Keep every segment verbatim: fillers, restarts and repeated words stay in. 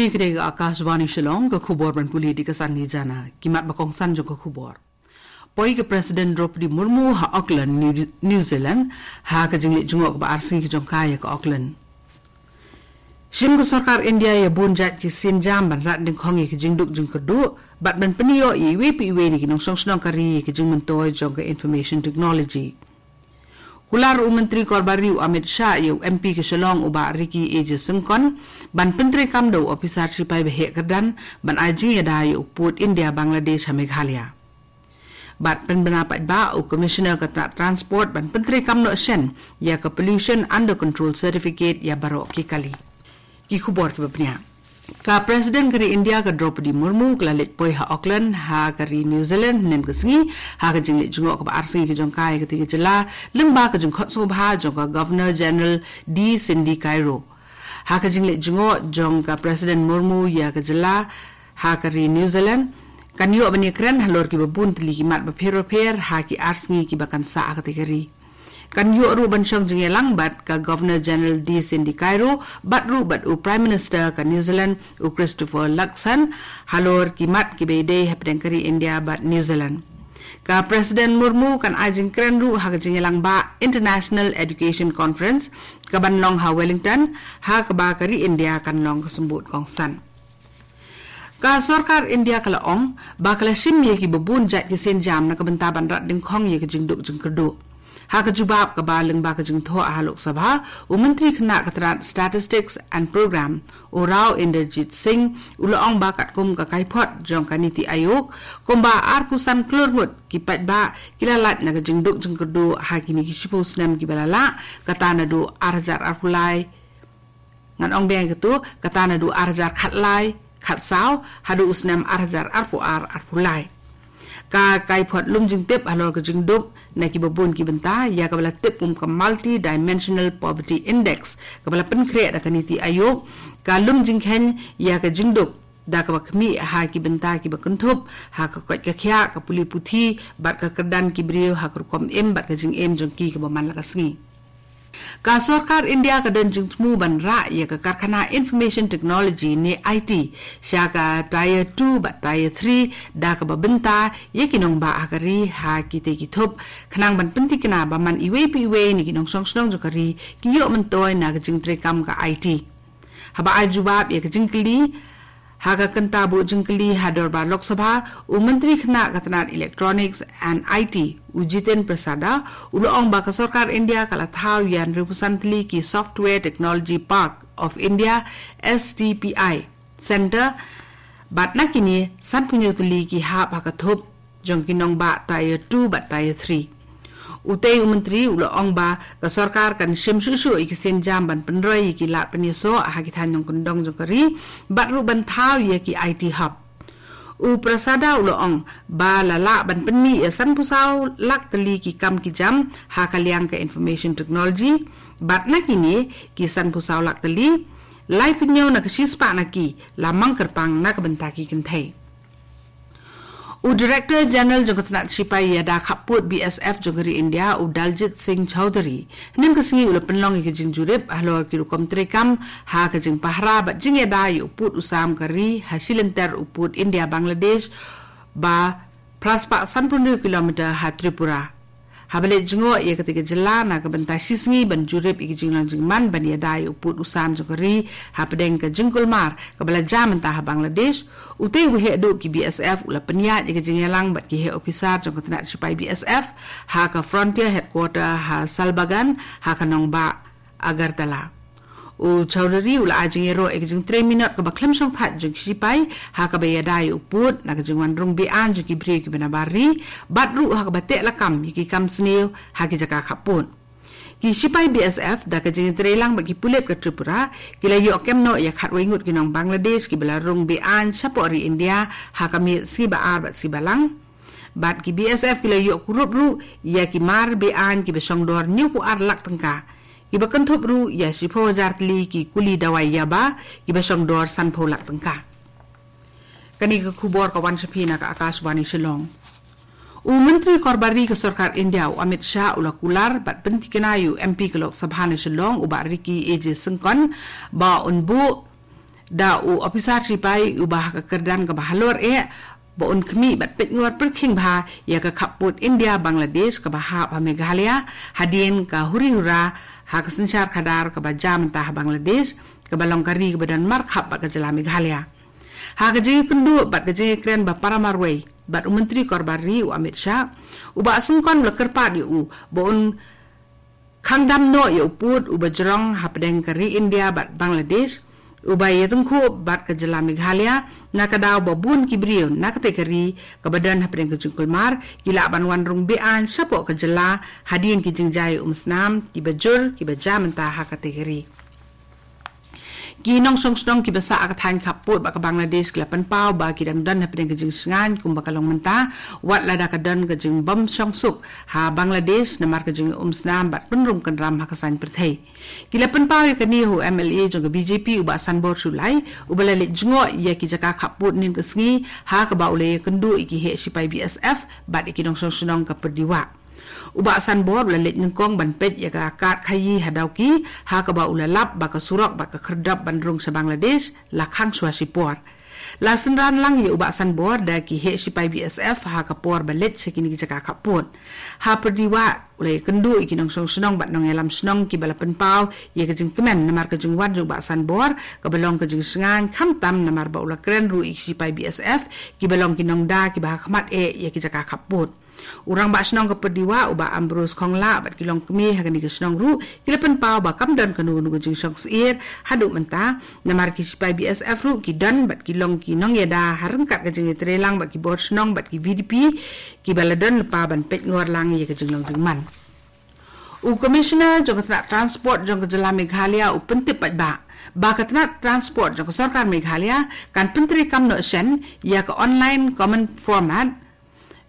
Kane ka dei ka Akashvani Shillong, ka khubor ban pule da ka Sanli Jana. Ki mat ba kongsan jong ka khubor. Poi ka President Droupadi Murmu ha Auckland, New, New Zealand, ha ka jingleit jngoh kaba ar sngi ka jong ka ïa ka Auckland. Shim ka sorkar India ïa bun jait ki sienjam ban rat dyngkhong ïa ki jingduk jingkyrduh bad ban pynïoh ïa iwei pa iwei na ki nongshong shnong ka ri ïa ki jingmyntoi jong ka information technology. Kular u Myntri Korbari u Amit Shah ïa u M P ka Shillong u Bah Ricky A J Syngkon ban pyntreikam da u ophisar shipai ba heh kyrdan ban ai jingïada ïa u pud India Bangladesh ha Meghalaya. Bad pynbna paidbah u Commissioner ka tnat Transport ban pyntreikam noh shen ïa ka Pollution Under Control Certificate ïa baroh ki kali. Ki khubor kiba bniah. Ka President ka ri India ka Droupadi Murmu ka la leit poi ha Auckland ha ka ri New Zealand hynnin ka sngi, ha ka jingleit jngoh kaba ar sngi ka jong ka ïa katei ka jylla lyngba ka jingkhot sngewbha jong ka Governor General D Cindy Cairo. Ha ka jingleit jngoh jong ka President Murmu ïa ka jylla ha ka ri New Zealand kan ïoh ban ïakren halor kiba bun tylli ki mat bapher bapher ha ki ar sngi kiba kan sah ha katei ka ri. Kan ïoh ruh ban shong jingïalang bad ka Governor General D Cindy Cairo bad ruh bad u Prime Minister ka New Zealand u Christopher Luxon halor ki mat kiba ïadei hapdeng ka ri India bad New Zealand. Ka President Murmu kan ai jingkren ruh ha ka jingïalang ba International Education Conference kaban long ha Wellington, ha kaba ka ri India kan long ka symbud kongsan. Ka sorkar India ka la ong ba ka la shim ïa kiba bun jait ki sienjam na ka bynta ban rat dyngkhong ïa ka jingduk jingkyrduh. Ha ka jubab kaba lyngba ka jingthoh ha Lok Sabha, u Myntri Khynnah ka tnat Statistics and Program, u Rao Inderjit Singh, u la ong ba katkum ka kaiphod jong ka Niti Aayog, kumba arphew san klur ngut ki paidbah ki la lait na ka jingduk jingkyrduh ha kine ki shiphew snem kiba la lah, kata naduh ar hajar arphew lai, ngan ong biang ïa kato, kata naduh ar hajar khatlai khatsaw haduh u snem ar hajar arphew ar arphew lai. Ka kaiphod lum jingtip halor ka jingduk na kiba bun ki bynta, ïa kaba la tip kum ka Multi Dimensional Poverty Index kaba la pynkhreh da ka Niti Aayog, ka lum jingkheiñ ïa ka jingduk da kaba khmih ha ki bynta kiba kynthup ha ka koit ka khiah, ka pule puthi bad ka kyrdan ki briew ha ka rukom im bad ka jingim jong ki kaba man la ka sngi. Ka sorkar India ka don jingthmu ban rah ïa ka karkhana Information Technology ne I T sha ka Tier two bad Tier three da kaba bynta ïa ki nongbah ha ka ri ha kitei ki thup, khnang ban pyntikna ba man iwei pa iwei na ki nongshong shnong jong ka ri ki ïoh myntoi na ka jingtreikam ka I T. Haba ai jubab ïa ka jingkylli ha ka kynta buh jingkylli ha dorbar Lok Sabha, u Myntri Khynnah ka tnat Electronics and I T, u Jitin Prasada, u la ong ba ka sorkar India ka la thaw ïa hynriewphew san tylli ki Software Technology Park of India, S T P I, Center, bad na kine sanphew hynñiew tylli ki hap ha ka thup jong ki nongbah Tier two bad Tier three. Utei u Myntri u la ong ba ka sorkar kan shim shuh shuh ïa ki sienjam ban pynroi ïa ki lad pynïasoh ha ki thaiñ nongkyndong jong ka ri bad ruh ban thaw ïa ki I T hub. U Prasada u la ong ba la lah ban pynmih ïa sanphew saw lak tylli ki kam ki jam ha ka liang ka Information Technology, bad na kine ki sanphew saw lak tylli, laiphew hynñiew na ka shispah na ki la mang kyrpang na ka bynta ki kynthei. U Director General jong ka tnat shipai ïada khappud B S F jong ka ri India, u Daljit Singh Chaudhary, hynnin ka sngi u la pynlong ïa ka jingjurip halor ki rukom treikam ha ka jingpahara bad jingïada ïa u pud u sam ka ri ha shilynter u pud India Bangladesh ba phra spah sanphew hynriew kilometer ha Tripura. Haba leit jngoh ïa katei ka jylla na ka bynta shisngi ban jurip ïa ka jinglong jingman ban ïada ïa u pud u sam jong ka ri hapdeng ka jingkulmar kaba la jia mynta ha Bangladesh, utei u heh duh ki B S F u la pynïaid ïa ka jingïalang bad ki heh ophisar jong ka tnat shipai B S F ha ka Frontier Headquarter ha Salbagan ha ka nongbah Agartala. U Chaudhary u la ai jingïaroh ïa ka jingtrei minot kaba khlem shongthait jong ki shipai ha kaba ïada ïa u pud na ka jingwan rung be-aiñ jong ki briew kiba nabar ri bad ruh ha kaba teh lakam ïa ki kam sniew ha ki jaka khappud. Ki shipai B S F da ka jingïatreilang bad ki pulit ka Tripura ki la ïoh kem noh ïa khatwei ngut ki nong Bangladesh kiba la rung be-aiñ shapoh ri India ha ka miet sngi ba ar bad sngi ba lang. Bad ki B S F ki la ïoh kurup ruh ïa ki mar be-aiñ kiba shongdor hynñiewphew ar lak tyngka, kiba kynthup ruh ïa shiphew hajar tylli ki kuli dawai yaba kiba shongdor sanphew lak tyngka. Kane ka khubor ka wan sha phi na ka Akashvani Shillong. U Myntri Korbari ka Sorkar India u Amit Shah u la kular bad pyntikna ïa u M P ka Lok Sabha na Shillong u Bah Ricky A J Syngkon ba un buh da u ophisar sipai uba ha ka kyrdan kaba halor eh ba un khmih bad peit ngor pyrkhing bha ïa ka khappud India Bangladesh kaba hap ha Meghalaya hadien ka huri hura ha ka synshar khadar kaba jia mynta ha Bangladesh, kaba long ka ri kaba don markhap bad ka jylla Meghalaya. Ha ka jingïakynduh bad ka jingïakren ba para marwei bad u Myntri Korbar Ri u Amit Shah, u Bah Sengkon u la kyrpad ïa u ba un khang dam noh ïa u pud uba jrong hapdeng ka ri India bad Bangladesh, uba ïatyngkhuh bad ka jylla Meghalaya, na ka daw ba bun ki briew na katei ka ri kaba don hapdeng ka jingkulmar ki lah ban wan rung be-aiñ shapoh ka jylla hadien ki jingjia umsnam kiba jur kiba jia mynta ha katei ka ri. Ki nongshong shnong kiba sah ha ka thaiñ khappud bad ka Bangladesh ki la pynpaw ba ki dang don hapdeng ka jingshngaiñ kumba ka long mynta, wat lada ka don ka jingbym shong suk ha Bangladesh namar ka jingumsnam bad pynrung kynram ha ka saiñ pyrthei. Ki la pynpaw ïa kane ha u M L A jong ka B J P u Bah Sanbor Shullai, uba la leit jngoh ïa ki jaka khappud hynnin ka sngi ha kaba u la ïakynduh ïa ki heh sipai B S F bad ïa ki nongshong shnong ka Pyrdiwah. U Bah Sanbor u la leit nyngkong ban peit ïa ka kad khaïi ha Dawki, ha kaba u la lap ba ka surok bad ka khyrdop ban rung sha Bangladesh la khang shuwa shipor. La synran lang ïa u Bah Sanbor da ki heh sipai B S F ha ka por ba leit sha kine ki jaka khappud. Ha Pyrdiwah u la ïakynduh ïa ki nongshong shnong bad nongïalam shnong kiba la pynpaw ïa ka jingkmen namar ka jingwan jong u Bah Sanbor, kaba long ka jingshngaiñ khamtam namar ba u la kren ruh ïa ki sipai B S F kiba long ki nongda kiba ha khmat eh ïa ki jaka khappud. U Rangbah Shnong ka Pyrdiwah u Bah Ambrose Khonglah bad ki longkmie ha kane ka shnong ruh ki la pynpaw ba kam don kano kano ka jingshong syier haduh mynta, namar ki sipai B S F ruh ki don bad ki long ki nongïada ha ryngkat ka jingïatreilang bad ki bor shnong bad ki V D P kiba la don lypa ban peit ngor lang ïa ka jinglong jingman. U Commissioner jong ka tnat Transport jong ka jylla Meghalaya u pyntip paidbah ba ka tnat Transport jong ka sorkar Meghalaya kan pyntreikam noh shen ïa ka Online Common Format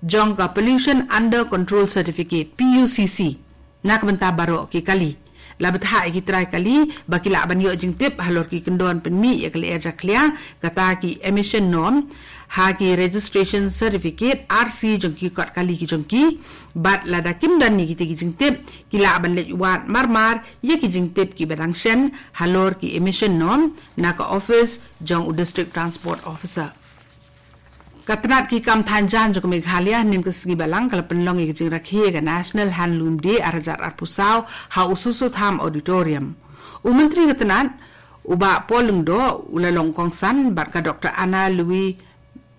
jong ka Pollution Under Control Certificate, P U C C, na ka bynta baroh ki kali. La bthah ïa ki trai kali ba ki lah ban ïoh jingtip halor ki kyndon pynmih ïa ka lyer jakhlia, kata ki emission norm, ha ki registration certificate, R C, jong ki kot kali ki jong ki. Bad lada kim don ïa kita ki jingtip, ki lah ban leit wad marmar ïa ki jingtip kiba dang shen halor ki emission norm na ka office jong u District Transport Officer. Ka tnat ki kam thaiñ jaiñ jong ka Meghalaya hynnin ka sngi Balang ka la pynlong ïa ka jingrakhe ïa ka National Handloom Day ar hajar arphew saw ha u Soso Tham Auditorium. U Myntri ka tnat, u Bah Paul Lyngdoh, u la long kongsan bad ka Doctor Anna Louise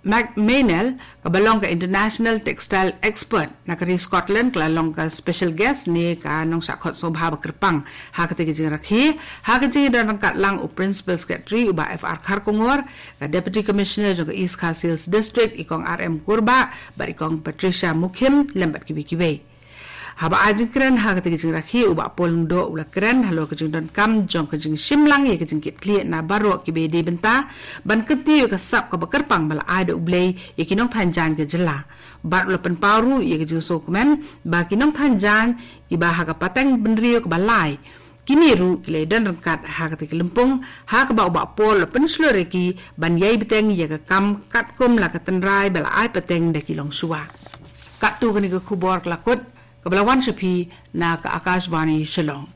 McManel, kaba long ka International Textile Expert na ka ri Scotland, ka la long ka special guest ne ka nongshah khot sngewbha ba kyrpang ha katei ka jingrakhe. Ha ka jingdon ryngkat lang u Principal Secretary u Bah F R Kharkongor, ka Deputy Commissioner jong ka East Khasi Hills District i Kong R M Kurbah bad i Kong Patricia Mukhim lem bad kiwei kiwei. Haba ai jingkren ha katei ka jingrakhe, u Bah Paul Lyngdoh u la kren halor ka jingdonkam jong ka jingshim lang ïa ka jingkitkhlieh na baroh kiba dei bynta ban kyntiew ïa ka sap kaba kyrpang ba la ai da U Blei ïa ki nongthaiñ jaiñ ka jylla. Bad u la pynpaw ruh ïa ka jingsngewkmen ba ki nongthaiñ jaiñ kiba ha ka pateng bynriew kaba lai, kine ruh ki la ïadon ryngkat ha katei ka lympung, ha kaba u Bah Paul u la pynshlur ïa ki ban ïai bteng ïa ka kam katkum la ka tynrai ba la ai pateng da ki longshuwa. Katto kane ka khubor ka la kut, kaba la wan sha phi na ka Akashvani Shillong.